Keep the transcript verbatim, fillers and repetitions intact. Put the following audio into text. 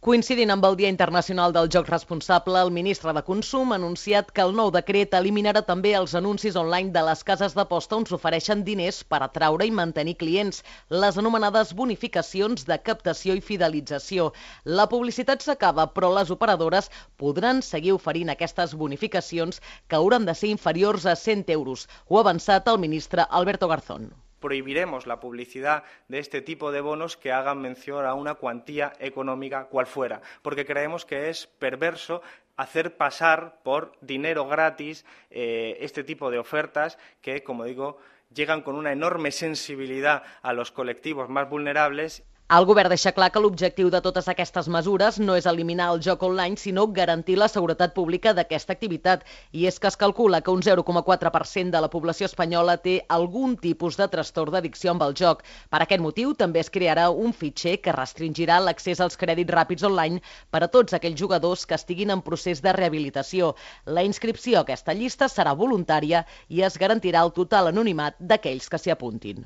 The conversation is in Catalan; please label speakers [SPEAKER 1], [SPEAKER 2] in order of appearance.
[SPEAKER 1] Coincidint amb el Dia Internacional del Joc Responsable, el ministre de Consum ha anunciat que el nou decret eliminarà també els anuncis online de les cases d'aposta on s'ofereixen diners per atraure i mantenir clients, les anomenades bonificacions de captació i fidelització. La publicitat s'acaba, però les operadores podran seguir oferint aquestes bonificacions que hauran de ser inferiors a cent euros. Ho ha avançat el ministre Alberto Garzón.
[SPEAKER 2] Prohibiremos la publicidad de este tipo de bonos que hagan mención a una cuantía económica cual fuera, porque creemos que es perverso hacer pasar por dinero gratis eh, este tipo de ofertas que, como digo, llegan con una enorme sensibilidad a los colectivos más vulnerables.
[SPEAKER 1] El govern deixa clar que l'objectiu de totes aquestes mesures no és eliminar el joc online, sinó garantir la seguretat pública d'aquesta activitat. I és que es calcula que un zero coma quatre per cent de la població espanyola té algun tipus de trastorn d'addicció amb el joc. Per aquest motiu, també es crearà un fitxer que restringirà l'accés als crèdits ràpids online per a tots aquells jugadors que estiguin en procés de rehabilitació. La inscripció a aquesta llista serà voluntària i es garantirà el total anonimat d'aquells que s'hi apuntin.